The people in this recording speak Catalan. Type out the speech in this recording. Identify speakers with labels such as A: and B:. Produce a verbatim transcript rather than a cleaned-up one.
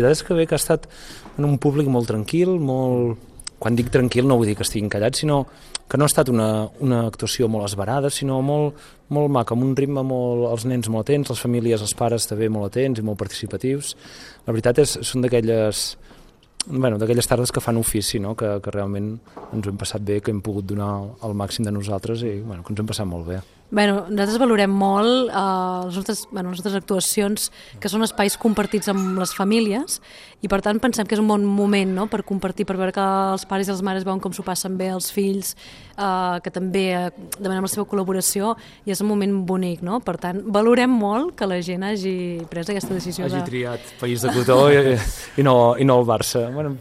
A: La veritat és que bé que ha estat en un públic molt tranquil, molt... Quan dic tranquil no vull dir que estiguin callats, sinó que no ha estat una, una actuació molt esverada, sinó molt, molt maca, amb un ritme molt... els nens molt atents, les famílies, els pares també molt atents i molt participatius. La veritat és són d'aquelles... Bueno, d'aquelles tardes que fan ofici, no? que, que realment ens ho hem passat bé, que hem pogut donar el màxim de nosaltres i bueno, que ens hem passat molt bé.
B: Bueno, nosaltres valorem molt eh, les, nostres, bueno, les nostres actuacions, que són espais compartits amb les famílies, i per tant pensem que és un bon moment, no?, per compartir, per veure que els pares i les mares veuen com s'ho passen bé els fills, eh, que també eh, demanem la seva col·laboració, i és un moment bonic, no? Per tant, valorem molt que la gent hagi pres aquesta decisió.
A: Hagi
B: de...
A: triat País de Cotó i, i, no, i no el Barça. Bueno,